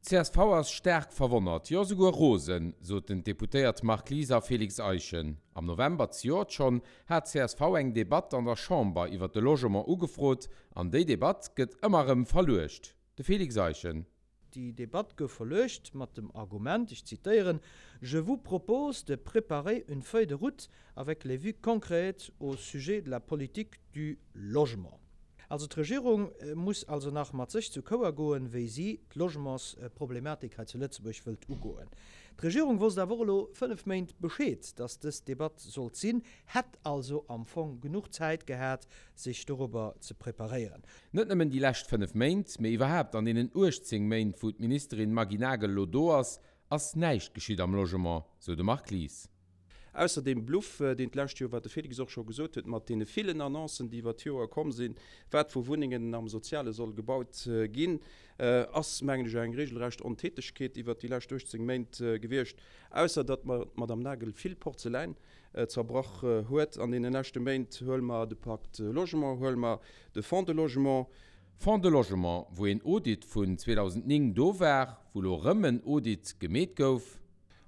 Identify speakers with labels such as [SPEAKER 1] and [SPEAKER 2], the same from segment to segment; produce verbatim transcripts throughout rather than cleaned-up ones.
[SPEAKER 1] D'CSV ass staark verwonnert, jo souguer rosen, soten d'Deputéiert Marc Lies a Félix Eischen. Am November zejoert schonn hat d'CSV eng Debatt an der Chamber iwwer de Logement ugefrot, an déi Debatt gëtt ëmmer erëm verluecht. De Félix Eischen.
[SPEAKER 2] Déi Debatt gouf verluecht mat dem Argument, ech zitéieren, Je vous propose de préparer une feuille de route avec les vues concrètes au sujet de la politique du logement. Also d'Regierung muss also nach mat sech zu Chouer goen, wéi si d'Logementsproblematik hei zu Lëtzebuerg wëllt ugoen. D'Regierung wosst awer och elo fënnef Méint Bescheed, datt dës Debatt sollt sinn, hätt also am Fong genuch Zäit gehat, sech dorobber ze preparéieren.
[SPEAKER 1] Net nëmmen déi lescht fënnef Méint, mee iwwerhaapt an deenen uechtzéng Méint, wou d'Ministerin Maggy Nagel elo do ass, ass näischt geschitt am Logement, sou de Marc Lies.
[SPEAKER 3] Ausser deem Bluff, deen d'lescht Joer, wat de Félix och scho gesot huet, mat deene villen Annoncen, déi iwwer d'Joer komm sinn, wat vu Wunnengen am Soziale soll gebaut ginn, ass, mengen ech, eng regelrecht Ontätegkeet iwwert déi lescht uechtzéng Méint gewiescht, ausser datt d'Madame Nagel vill Porzeläin zerbrach huet an deene leschte Méint. Huele mer de Pacte Logement, huele mer de Fonds de Logement.
[SPEAKER 1] Fonds de Logement, wou een Audit vun zweedausendnéng do war, wou elo erëm en Audit gemeet gouf.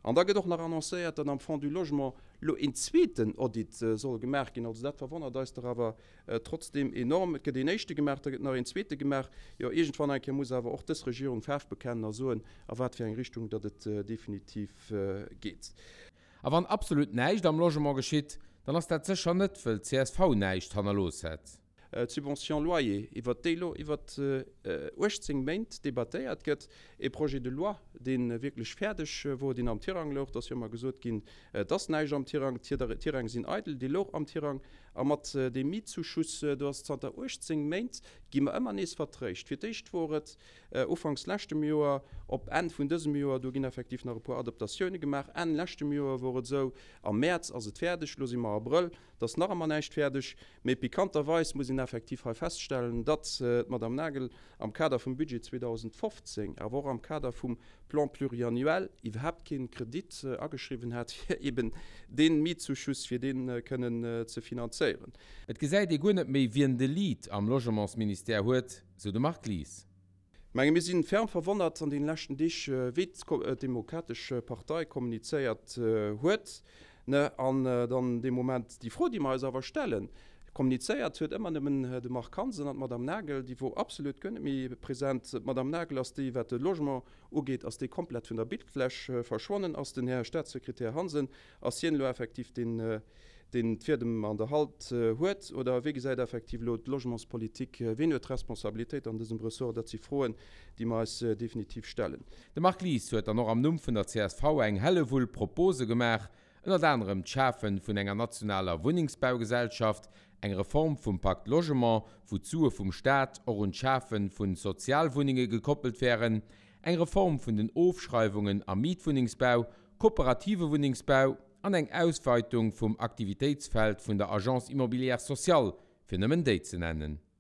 [SPEAKER 3] An da gëtt och nach annoncéiert, datt am Fonds du Logement elo een zweeten Audit soll gemaach ginn. Also dat verwonnert eis dach awer trotzdeem enorm. Et gëtt een éischte gemaach, da gëtt nach een zweete gemaach. Jo, iergendwann eng Kéier muss awer och dës Regierung Faarf bekennen a soen, a wat fir eng Richtung datt et definitiv geet.
[SPEAKER 1] A wann absolut näischt am Logement geschitt, dann ass dat sécher net, wëll d'CSV näischt hannerlooss hätt.
[SPEAKER 3] D'Subvention loyer, iwwert déi elo iwwer uechtzéng Méint debattéiert gëtt, e Projet de loi, dee wierklech fäerdeg wor, deen am Tirang louch, et ass jo ëmmer gesot ginn, et ass näischt am Tirang, d'Tirang sinn eidel, dee louch am Tirang. A mat deem Mietzuschuss, do ass zanter uechtzéng Méint, gi mer ëmmer nees vertréischt. Fir d'éischt wor et ufanks leschtem Joer, op Enn vun dësem Joer, do ginn effektiv nach e puer Adaptatioune gemaach, Enn leschtem Joer wor et esou, am Mäerz ass et fäerdeg, elo si mer Abrëll, Et ass nach ëmmer näischt fäerdeg, mee pikanterweis muss een effektiv hei feststellen, datt d'Madame Nagel am Kader vum Budget zweedausendfofzéng, awer och am Kader vum Plan pluriannuel iwwerhaapt kee Kredit ageschriwwen hat, fir eben dee Mietzuschuss, fir dee kënnen ze finanzéieren.
[SPEAKER 1] Et gesäit ee guer net méi, wien de Lead am Logementsministère huet, sou de Marc Lies.
[SPEAKER 3] Menge mir si ferm verwonnert an deene leschten Deeg, wéi d'Demokratesch Partei kommunizéiert huet. An dann dee Moment déi Fro, déi mer eis awer stellen, kommunizéiert huet ëmmer nëmmen de Marc Hansen an d'Madame Nagel, déi wor absolut guer net méi present. D'Madame Nagel ass déi, wat de Logement ugeet, ass déi komplett vun der Bildfläch verschwonnen. Ass den Här Statssekretär Hansen, ass hien elo effektiv deen, deen d'Fiedem an der Hand huet, oder wéi gesäit effektiv elo d'Logementspolitik, wien huet d'Responsabilitéit an dësem Ressort? Dat si Froen, déi mer eis definitiv stellen.
[SPEAKER 1] De Marc Lies huet dann och am Numm vun der C S V eng Hellewull Propose gemaach, ënnert anerem d'Schafe vun enger nationaler Wunnengsbaugesellschaft, eng Reform vum Pacte Logement, wou d'Sue vum Staat och un d'Schafe vu Sozialwunnenge gekoppelt wären, eng Reform vun den Ofschreiwungen am Mietwunnengsbau, kooperative Wunnengsbau an eng Ausweitung vum Aktivitéitsfeld vun der Agence Immobilière Sociale, fir nëmmen déi ze nennen.